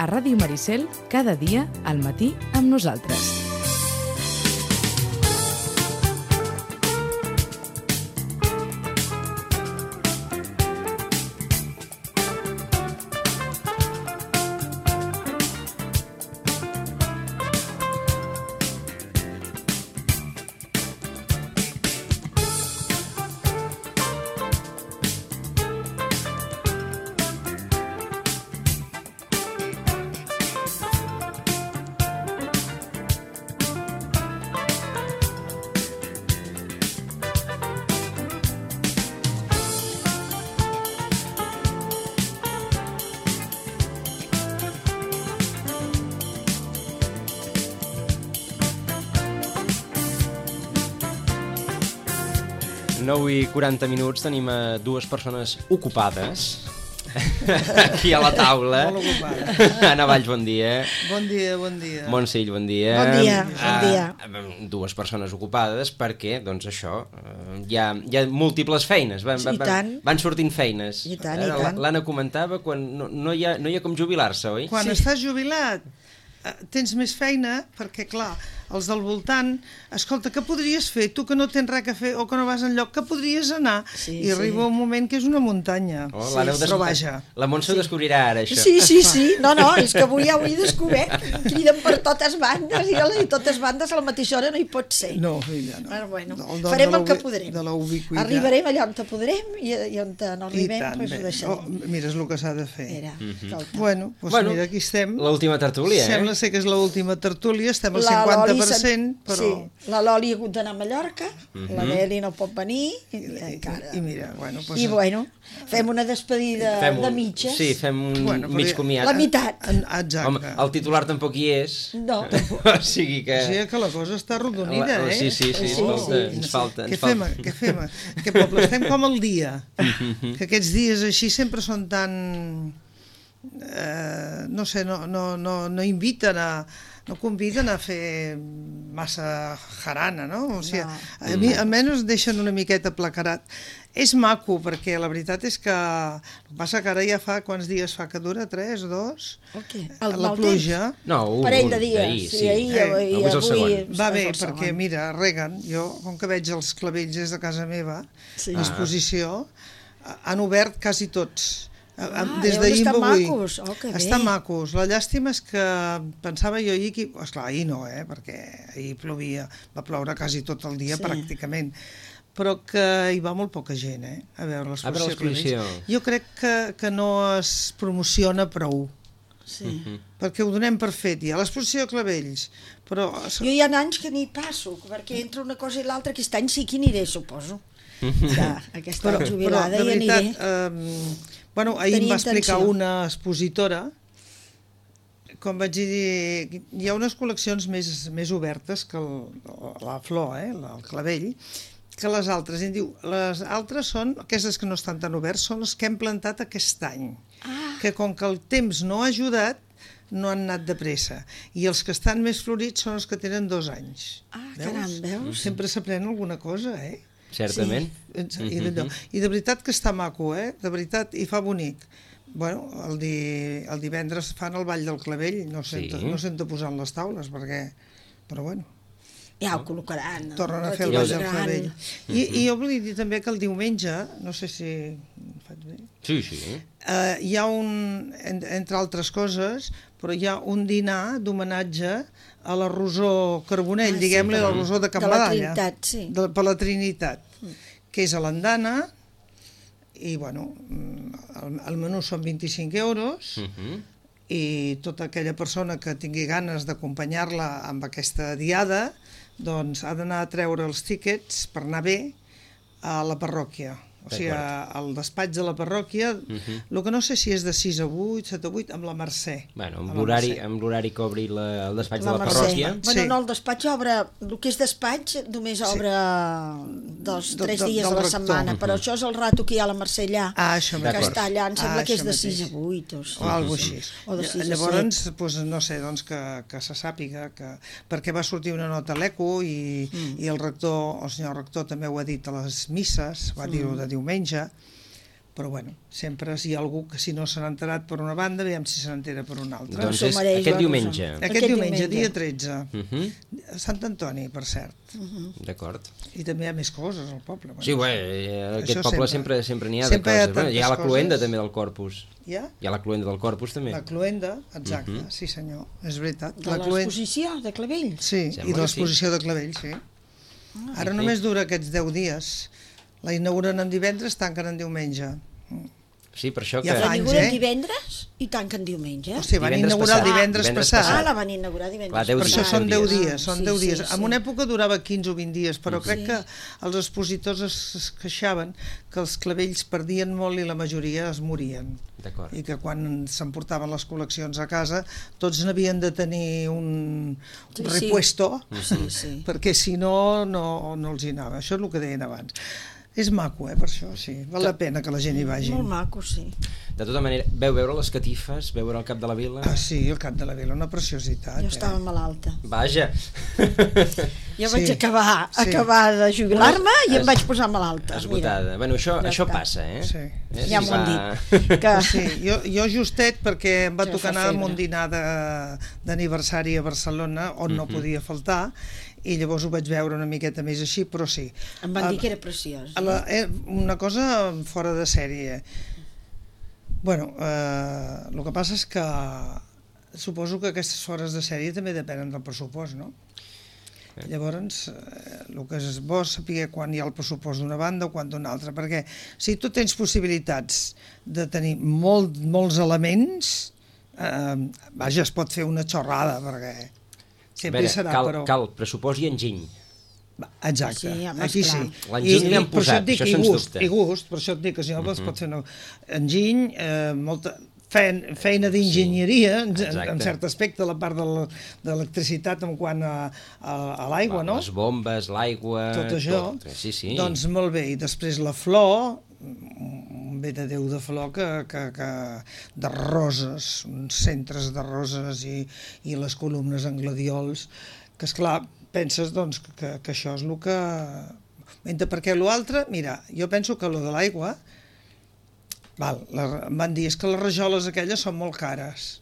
a Ràdio Maricel, cada dia al matí amb nosaltres. I 40 minuts tenim dues persones ocupades aquí a la taula. Molt ocupades. Anna Valls, bon dia. Bon dia, bon dia. Montsill, bon dia. Bon dia, bon dia. Dues persones ocupades perquè, doncs això, hi ha múltiples feines, van sortint feines. I tant, i tant. L'Anna comentava quan no hi ha com jubilar-se, oi? Quan estàs jubilat tens més feina perquè, clar, els del voltant, escolta, què podries fer? Tu que no tens res a fer o que no vas enlloc, que podries anar? I arriba un moment que és una muntanya. Però vaja. La Montse ho descobrirà ara, això. Sí. No, és que avui ja ho he descobert. Criden per totes bandes i totes bandes a la mateixa hora no hi pot ser. No, filla, no. Però bueno, farem el que podrem. De la ubiquitat. Arribarem allà on podrem i on no arribem, doncs ho deixarem. Mira, és el que s'ha de fer. Bueno, mira, aquí estem. L'última tertúlia, Sembla ser que és l'última tertúlia, estem al 50%, però... Sí, la Loli ha hagut d'anar a Mallorca, la Meli no pot venir, i mira, bueno... I bueno, fem una despedida de mitges. Sí, fem un mig comiat. La meitat. Exacte. Home, el titular tampoc hi és. No. O sigui que... O sigui que la cosa està arrodonida, Sí, ens falta. Què fem? Què poble? Estem com el dia. Que aquests dies així sempre són tan... no sé, no inviten no conviden a fer massa jarana, no? O sigui, a mi almenys deixen una miqueta placarat. És maco, perquè la veritat és que... El que passa que ara ja fa... Quants dies fa que dura? 3, 2? La pluja. No, un parell de dies. Sí, ahir i avui... Va bé, perquè mira, reguen. Jo, com que veig els clavells des de casa meva, a exposició, han obert quasi tots. Des d'ahir a avui. Estan macos. La llàstima és que pensava jo ahir que... Esclar, ahir no, perquè ahir plovia, va ploure quasi tot el dia pràcticament, però que hi va molt poca gent a veure l'exposició. Jo crec que no es promociona prou. Perquè ho donem per fet ja, l'exposició de clavells, però... Jo hi ha anys que n'hi passo, perquè entre una cosa i l'altra aquest any sí que aniré, suposo. Aquesta jubilada hi aniré. Bueno, ahir em va explicar una expositora, com vaig dir, hi ha unes col·leccions més obertes que la flor, el clavell, que les altres. I em diu, les altres són, aquestes que no estan tan oberts, són les que hem plantat aquest any. Que com que el temps no ha ajudat, no han anat de pressa. I els que estan més florits són els que tenen 2 anys. Caram, veus? Sempre s'aprèn alguna cosa, Certament. I de veritat que està maco, de veritat, i fa bonic. Bueno, el divendres fan el ball del clavell, no sento posant les taules, però bueno. Ja ho col·locaran. Tornen a fer el ball del clavell. I jo volia dir també que el diumenge, no sé si ho faig bé... Sí. Hi ha entre altres coses, però hi ha un dinar d'homenatge a la Rosó Carbonell, diguem-li, la Rosó de Can Badalla. De la Trinitat, sí. Per la Trinitat, que és a l'andana, i bueno, el menú són 25 euros, i tota aquella persona que tingui ganes d'acompanyar-la amb aquesta diada, doncs ha d'anar a treure els tíquets per anar bé a la parròquia. O sigui, al despatx de la parròquia, el que no sé si és de 6 a 8, 7 a 8, amb la Mercè. Bueno, amb l'horari que obri el despatx de la parròquia. Bueno, no, el despatx obre, el que és despatx només obre 2-3 dies a la setmana, però això és el rato que hi ha a la Mercè allà, que està allà, em sembla que és de 6 a 8 o alguna cosa així. Llavors, no sé, que se sàpiga, perquè va sortir una nota a l'ECO i el rector, el senyor rector també ho ha dit a les misses, va dir-ho de diumenge, però bueno, sempre si hi ha algú que si no se n'ha enterat per una banda, veiem si se n'entera per una altra. Doncs és aquest diumenge. Aquest diumenge, dia 13. Sant Antoni, per cert. D'acord. I també hi ha més coses al poble. Sí, aquest poble sempre n'hi ha de coses. Hi ha la cloenda també del Corpus. Hi ha la cloenda del Corpus també. La cloenda, exacte, sí senyor, és veritat. De l'exposició de Clavell? Sí, i de l'exposició de Clavell, sí. Ara només dura aquests 10 dies. La inauguren en divendres, tanquen en diumenge. Sí, per això que... La inauguren divendres i tanquen diumenge. O sigui, van inaugurar el divendres passat. La van inaugurar divendres passat. Per això són 10 dies, són 10 dies. En una època durava 15 o 20 dies, però crec que els expositors es queixaven que els clavells perdien molt i la majoria es morien. I que quan s'emportaven les col·leccions a casa tots n'havien de tenir un repuesto, perquè si no, no els hi anava. Això és el que deien abans. És maco, per això, sí. Val la pena que la gent hi vagi. Molt maco, sí. De tota manera, veu veure les catifes, veu veure el Cap de la Vila? Ah, sí, el Cap de la Vila, una preciositat. Jo estava malalta. Vaja! Jo vaig acabar de jubilar-me i em vaig posar malalta. Esgotada. Bueno, això passa, eh? Sí. Ja m'ho han dit. Sí, jo justet, perquè em va tocar anar a un dinar d'aniversari a Barcelona, on no podia faltar, i llavors ho vaig veure una miqueta més així, però sí. Em van dir que era preciós. Una cosa fora de sèrie. Bueno, el que passa és que suposo que aquestes fores de sèrie també depenen del pressupost, no? Llavors, el que és bo és saber quan hi ha el pressupost d'una banda o quan d'una altra, perquè si tu tens possibilitats de tenir molts elements, vaja, es pot fer una xorrada, perquè sempre serà, però... Cal pressupost i enginy. Exacte, aquí sí. L'enginy l'hem posat, això sens dubte. I gust, per això et dic que si no es pot fer enginy, molta feina d'enginyeria, en cert aspecte, la part de l'electricitat en quant a l'aigua, no? Les bombes, l'aigua... Tot això. Doncs molt bé, i després la flor, un bé de Déu de flor de roses, uns centres de roses i les columnes en gladiols, que esclar, penses doncs que això és el que... Mentre perquè l'altre, mira, jo penso que lo de l'aigua, em van dir, és que les rajoles aquelles són molt cares.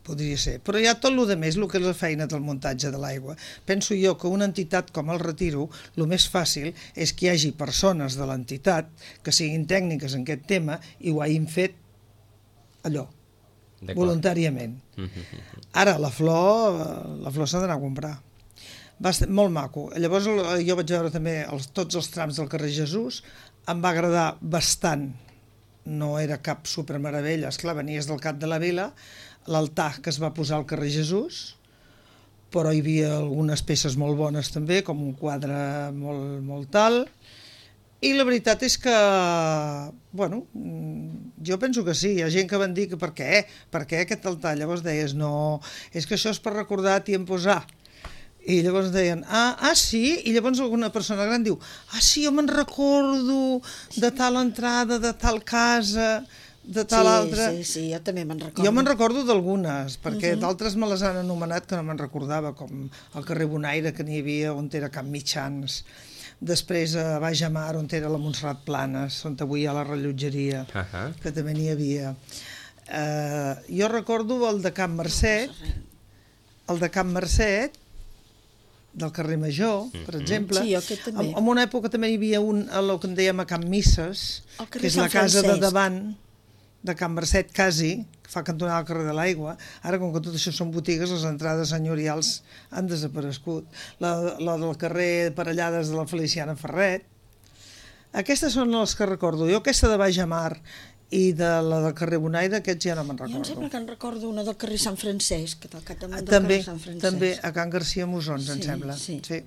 Podria ser. Però hi ha tot el més, el que és la feina del muntatge de l'aigua. Penso jo que una entitat com el Retiro, el més fàcil és que hi hagi persones de l'entitat que siguin tècniques en aquest tema i ho hagin fet allò, voluntàriament. Ara, la flor s'ha d'anar a comprar. Va ser molt maco. Llavors jo vaig veure també tots els trams del carrer Jesús, em va agradar bastant, no era cap supermeravella, esclar, venies del Cap de la Vila, l'altar que es va posar al carrer Jesús, però hi havia algunes peces molt bones també, com un quadre molt tal, i la veritat és que, bueno, jo penso que sí, hi ha gent que van dir que per què aquest altar? Llavors deies, no, és que això és per recordar i posar. I llavors deien, sí? I llavors alguna persona gran diu, sí, jo me'n recordo de tal entrada, de tal casa, de tal altra... Sí, jo també me'n recordo. Jo me'n recordo d'algunes, perquè d'altres me les han anomenat que no me'n recordava, com el carrer Bonaire, que n'hi havia, on era Camp Mitjans, després a Baix Amar, on era la Montserrat Planes, on avui hi ha la rellotgeria, que també n'hi havia. Jo recordo el de Camp Mercet, del carrer Major, per exemple. Sí, aquest també. En una època també hi havia el que en dèiem a Camp Misses, que és la casa de davant de Camp Mercet, quasi, que fa cantonada al carrer de l'Aigua. Ara, com que tot això són botigues, les entrades senyorials han desaparegut. La del carrer Parellades de la Feliciana Ferret. Aquestes són les que recordo. Jo aquesta de Baix Amar i de la del carrer Bonaire, aquests ja no me'n recordo. Jo em sembla que en recordo una del carrer Sant Francesc, del capdamunt del carrer Sant Francesc. També, a Can Garcia Mosons, em sembla. Sí.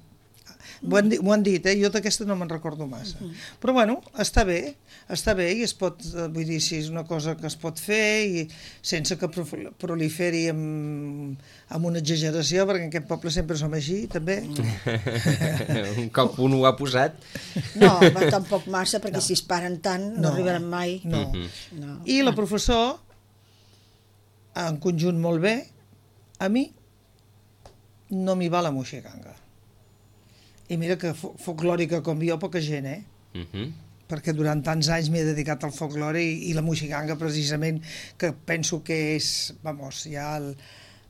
M'ho han dit, jo d'aquesta no me'n recordo massa. Però bueno, està bé i es pot, vull dir, si és una cosa que es pot fer i sense que proliferi amb una exageració, perquè en aquest poble sempre som així, també. Un cop un ho ha posat. No, tampoc massa, perquè si es paren tant no arribaran mai. No. I la professor, en conjunt molt bé, a mi no m'hi va la moixiganga. I mira que folclòrica com jo, poca gent, perquè durant tants anys m'he dedicat al folklore i la moixiganga precisament, que penso que és, ja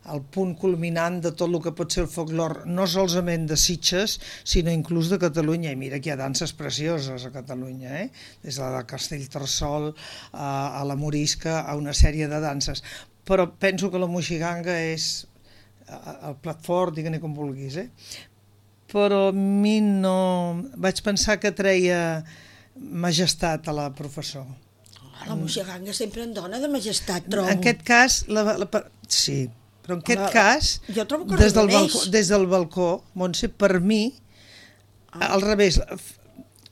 el punt culminant de tot el que pot ser el folklore, no solament de Sitges, sinó inclús de Catalunya. I mira que hi ha danses precioses a Catalunya, des de la Castellterçol a la Morisca, a una sèrie de danses. Però penso que la moixiganga és el plat fort, digue-ne com vulguis, però a mi no... Vaig pensar que treia majestat a la professor. La moixiganga sempre en dona de majestat, trobo. En aquest cas, sí, però en aquest cas, des del balcó, Montse, per mi, al revés,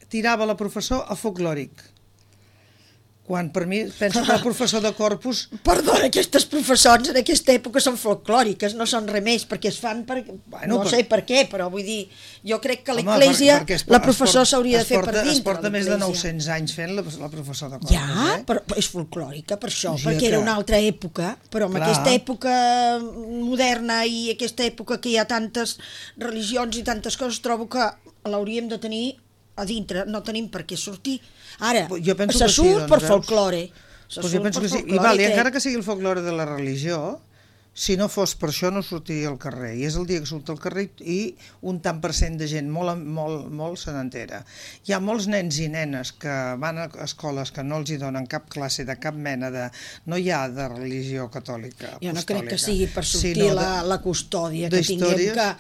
tirava la professor a folclòric. Quan per mi penso que el professor de Corpus... Perdona, aquestes professors en aquesta època són folclòriques, no són res més, perquè es fan per... No sé per què, però vull dir, jo crec que a l'Església la professor s'hauria de fer per dintre. Es porta més de 900 anys fent la professor de Corpus. Ja, però és folclòrica per això, perquè era una altra època, però en aquesta època moderna i aquesta època que hi ha tantes religions i tantes coses, trobo que l'hauríem de tenir a dintre, no tenim per què sortir. Ara, se surt per folklore. Jo penso que sí, i encara que sigui el folklore de la religió, si no fos per això no sortiria al carrer, i és el dia que surt al carrer i un tant per cent de gent molt se n'entera. Hi ha molts nens i nenes que van a escoles que no els hi donen cap classe de cap mena de... No hi ha de religió catòlica. Jo no crec que sigui per sortir la custòdia, que tinguem que...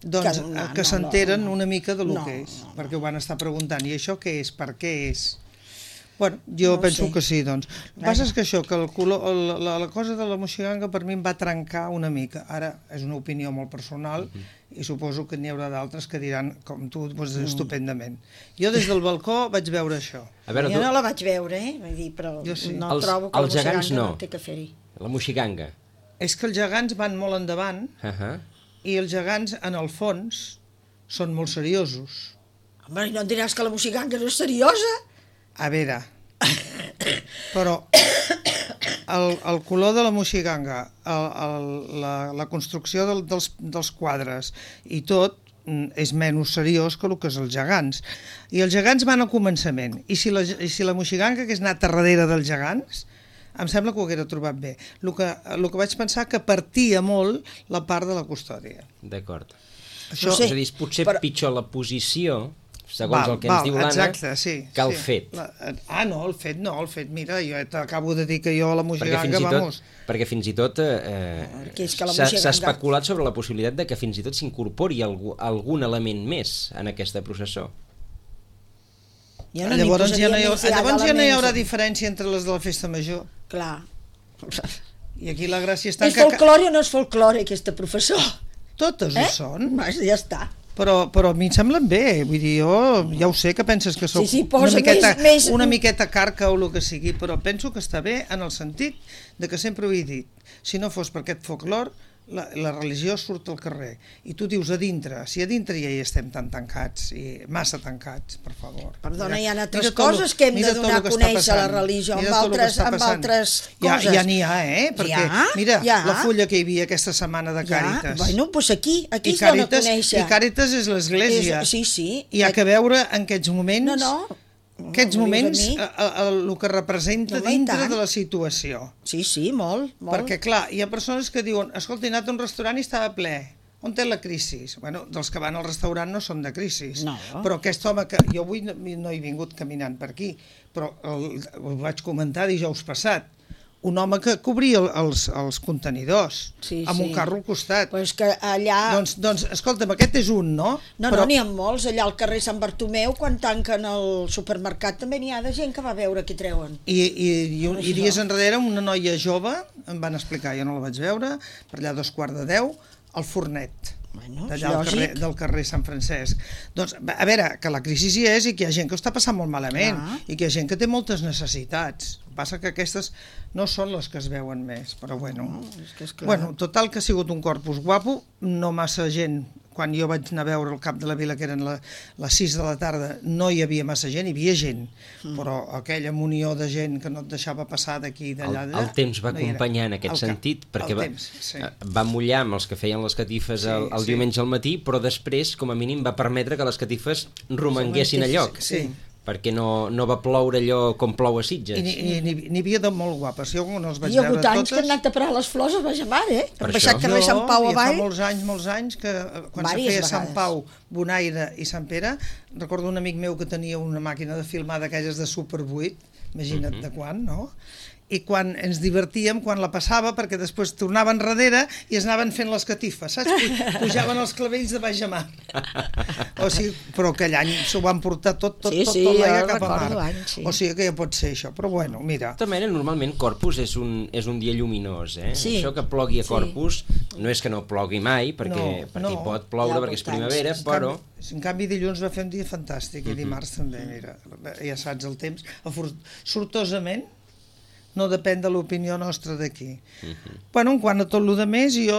Doncs que s'enteren una mica del que és, perquè ho van estar preguntant, i això què és, per què és? Bueno, jo penso que sí, doncs. El que passa és que això, que la cosa de la moixiganga per mi em va trencar una mica. Ara és una opinió molt personal i suposo que n'hi haurà d'altres que diran, com tu, estupendament. Jo des del balcó vaig veure això. Jo no la vaig veure, vull dir, però no trobo que la moixiganga no té que fer-hi. La moixiganga. És que els gegants van molt endavant, i els gegants, en el fons, són molt seriosos. Home, no em diràs que la moixiganga no és seriosa? A veure, però el color de la moixiganga, la construcció dels quadres i tot és menys seriós que el que és els gegants. I els gegants van al començament. I si la moixiganga hagués anat a darrere dels gegants, em sembla que ho haguera trobat bé. El que vaig pensar que partia molt la part de la custòdia. D'acord. És a dir, potser pitjor la posició, segons el que ens diu l'Anna, que el fet. No, el fet, mira, jo t'acabo de dir que jo a la moixiganga, vamos... Perquè fins i tot s'ha especulat sobre la possibilitat de que fins i tot s'incorpori algun element més en aquesta processó. Llavors ja no hi haurà diferència entre les de la festa major. Clar. I aquí la gràcia està... És folklore o no és folklore, aquesta professor? Totes ho són. Ja està. Però a mi em semblen bé, vull dir, jo ja ho sé que penses que sóc una miqueta carca o el que sigui, però penso que està bé en el sentit de que sempre ho he dit. Si no fos per aquest folklore, la religió surt al carrer i tu dius a dintre, si a dintre ja hi estem tan tancats, i massa tancats, per favor. Perdona, hi ha altres coses que hem de donar a conèixer la religió amb altres coses. Ja n'hi ha, perquè mira, la fulla que hi havia aquesta setmana de Càritas. Bueno, doncs aquí es dona a conèixer. I Càritas és l'església. Sí. I hi ha que veure en aquests moments... Aquests moments, el que representa dintre de la situació. Sí, molt. Perquè, clar, hi ha persones que diuen, escolta, he anat a un restaurant i estava ple. On té la crisi? Bueno, dels que van al restaurant no són de crisi. Però aquest home, que jo avui no he vingut caminant per aquí, però ho vaig comentar dijous passat, un home que cobria els contenidors amb un carro al costat. Pues que allà... Doncs, escolta'm, aquest és un, no? No, n'hi ha molts. Allà al carrer Sant Bartomeu, quan tanquen el supermercat, també n'hi ha de gent que va veure què treuen. I dies enrere una noia jove, em van explicar, jo no la vaig veure, per allà 9:45, al fornet. D'allà del carrer Sant Francesc. Doncs, a veure, que la crisi hi és i que hi ha gent que ho està passant molt malament i que hi ha gent que té moltes necessitats. Passa que aquestes no són les que es veuen més, però bueno. Total que ha sigut un corpus guapo, no massa gent. Quan jo vaig anar a veure el cap de la vila, que eren les 6 de la tarda, no hi havia massa gent, hi havia gent, però aquella munió de gent que no et deixava passar d'aquí i d'allà... El temps va acompanyar en aquest sentit, perquè va mullar amb els que feien les catifes el diumenge al matí, però després, com a mínim, va permetre que les catifes romanguessin a lloc. perquè no va ploure allò com plou a Sitges. I n'hi havia de molt guapes. Jo no els vaig veure totes. Hi ha hagut anys que han anat a parar les flors a Bajamar, Hem baixat carrer Sant Pau avall. Fa molts anys que quan se feia Sant Pau, Bonaire i Sant Pere, recordo un amic meu que tenia una màquina de filmar d'aquelles de Super 8, imagina't de quan, no? I quan ens divertíem, quan la passava, perquè després tornaven darrere i es anaven fent les catifes, saps? Pujaven els clavells de Bajamar. O sigui, però aquell any s'ho van portar tot l'aigua cap a mar. O sigui que ja pot ser això, però bueno, mira. De tota manera, normalment Corpus és un dia lluminós, Això que plogui a Corpus no és que no plogui mai, perquè hi pot ploure, perquè és primavera, però... En canvi, dilluns va fer un dia fantàstic, i dimarts també, mira, ja saps el temps. Sortosament, no depèn de l'opinió nostra d'aquí. Bueno, en quant a tot el més, jo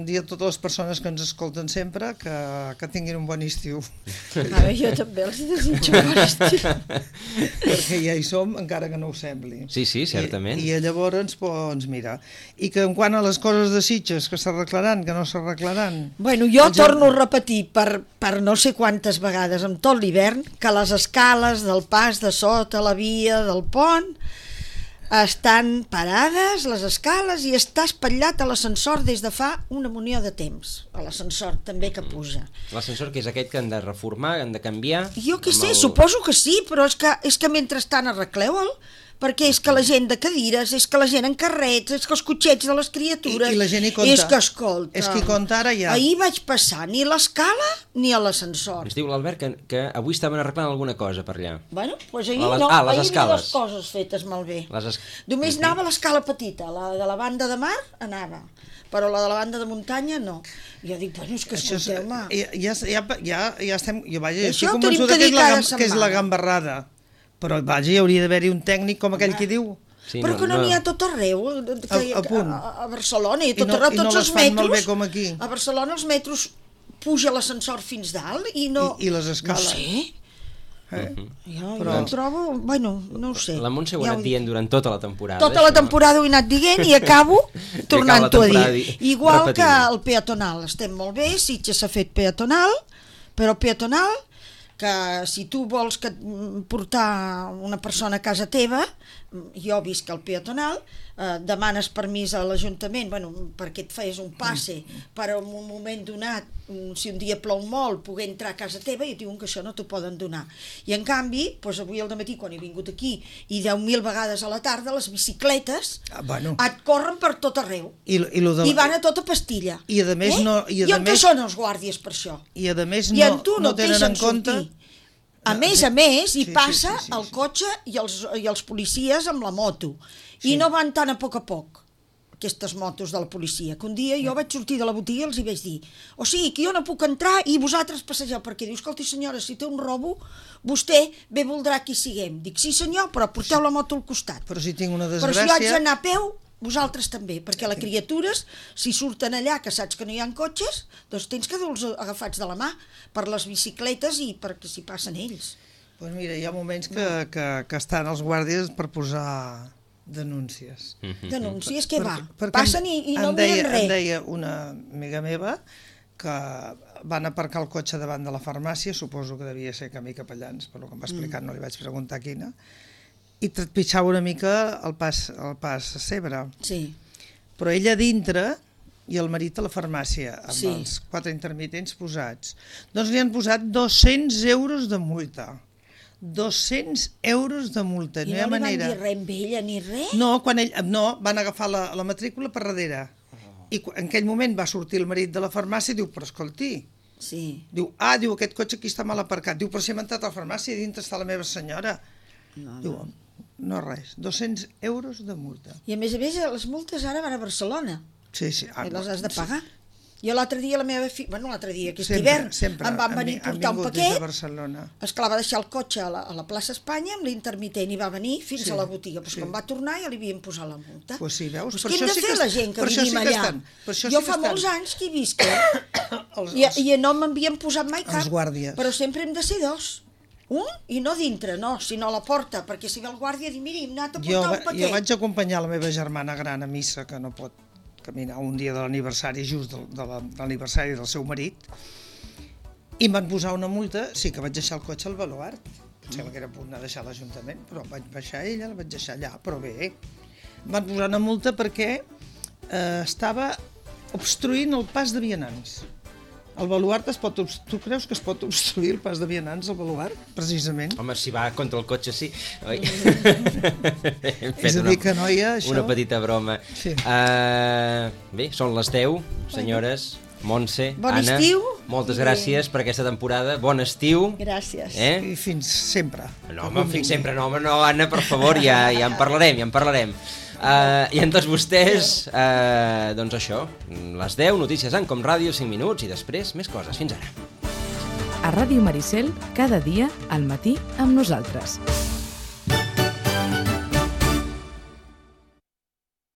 dic a totes les persones que ens escolten sempre que tinguin un bon estiu. Jo també els desitjo un bon estiu. Perquè ja hi som, encara que no ho sembli. Sí, certament. I llavors, doncs, mira, i que en quant a les coses de Sitges, que s'arreglaran, que no s'arreglaran... Bueno, jo torno a repetir per no sé quantes vegades en tot l'hivern que les escales del pas de sota la via del pont estan parades, les escales, i està espatllat a l'ascensor des de fa una munió de temps. A l'ascensor també que puja. L'ascensor que és aquest que han de reformar, han de canviar? Jo què sé, suposo que sí, però és que mentrestant arregleu-el, perquè és que la gent de cadires, és que la gent en carrets, és que els cotxets de les criatures... I la gent hi compta. És que, escolta... És que hi compta ara ja. Ahir vaig passar ni l'escala ni a l'ascensor. Ens diu l'Albert que avui estaven arreglant alguna cosa per allà. Bueno, doncs ahir no, ahir hi havia les coses fetes malbé. Només anava l'escala petita, la de la banda de mar anava, però la de la banda de muntanya no. Jo dic, bueno, és que escolteu-me... Ja estem... Jo vaja, estic convençuda que és la gambarrada. Però vaja, hi hauria d'haver-hi un tècnic com aquell que diu. Sí, però que no n'hi ha tot arreu, a Barcelona, i tot arreu, tots els metros. Molt bé com aquí. A Barcelona els metros puja l'ascensor fins dalt i no... I les escales. No sé. Jo ho trobo... Bueno, no ho sé. La Montse ho ha anat dient durant tota la temporada. Tota la temporada ho he anat dient i acabo tornant-ho a dir. Igual que el peatonal. Estem molt bé, Sitges s'ha fet peatonal, però peatonal... que si tu vols portar una persona a casa teva, jo visc al peatonal, demanes permís a l'Ajuntament perquè et fes un passe per a un moment donat, si un dia plou molt, poder entrar a casa teva, i et diuen que això no t'ho poden donar. I en canvi, avui al dematí, quan he vingut aquí, i 10.000 vegades a la tarda, les bicicletes et corren per tot arreu. I van a tota pastilla. I a més no... I on què són els guàrdies per això? I a més no tenen en compte... A més, hi passa el cotxe i els policies amb la moto. I no van tan a poc, aquestes motos de la policia, que un dia jo vaig sortir de la botiga i els hi vaig dir: o sigui, que jo no puc entrar i vosaltres passegeu, perquè diu, escolti senyora, si té un robo, vostè bé voldrà que hi siguem. Dic, sí senyor, però porteu la moto al costat. Però si tinc una desgràcia... Però si haig d'anar a peu, vosaltres també, perquè les criatures, si surten allà, que saps que no hi ha cotxes, doncs tens que dur-los agafats de la mà per les bicicletes i perquè s'hi passen ells. Doncs mira, hi ha moments que estan els guàrdies per posar denúncies. Denúncies, què va? Passen i no miren res. Em deia una amiga meva que van aparcar el cotxe davant de la farmàcia, suposo que devia ser Camí Capellans, per el que em va explicar, no li vaig preguntar quina, i trepitjava una mica el pas a Cebre. Sí. Però ella dintre i el marit a la farmàcia, amb els 4 intermitents posats. Doncs li han posat 200 euros de multa. 200 euros de multa. I no li van dir res amb ella ni res? No, van agafar la matrícula per darrere. I en aquell moment va sortir el marit de la farmàcia i diu, però escolti, diu, aquest cotxe aquí està mal aparcat. Diu, però si hem entrat a la farmàcia i dintre està la meva senyora. Diu, no res, 200 euros de multa. I a més, les multes ara van a Barcelona. Sí. I les has de pagar. Jo l'altre dia, la meva filla, l'altre dia, aquest hivern, em van venir a portar un paquet, esclar, va deixar el cotxe a la plaça Espanya amb l'intermitent i va venir fins a la botiga. Però quan va tornar ja li havien posat la multa. Pues sí, veus? Què hem de fer la gent que vivim allà? Jo fa molts anys que hi visc, i no m'havien posat mai cap, però sempre hem de ser 2. Un, i no dintre, sinó a la porta, perquè si ve el guàrdia i diu, miri, hem anat a portar un paquet. Jo vaig acompanyar la meva germana gran a missa, que no pot caminar un dia de l'aniversari, just de l'aniversari del seu marit, i em van posar una multa, sí que vaig deixar el cotxe al baluart. sembla que era a punt de deixar l'Ajuntament, però vaig baixar ella, la vaig deixar allà, però bé, em van posar una multa perquè estava obstruint el pas de vianants. El baluart tu creus que es pot obstruir el pas de vianants, el baluart, precisament? Home, si va contra el cotxe, sí. És a dir, que noia, això... Una petita broma. Sí. Bé, són les 10, senyores, Montse, Anna. Estiu. Moltes gràcies per aquesta temporada. Bon estiu. Gràcies. I fins sempre. No, home, fins sempre no, home, no, Anna, per favor, ja en parlarem. I en tots vostès, doncs això, les 10, notícies en Com Ràdio, 5 minuts, i després més coses. Fins ara. A Ràdio Maricel, cada dia, al matí, amb nosaltres.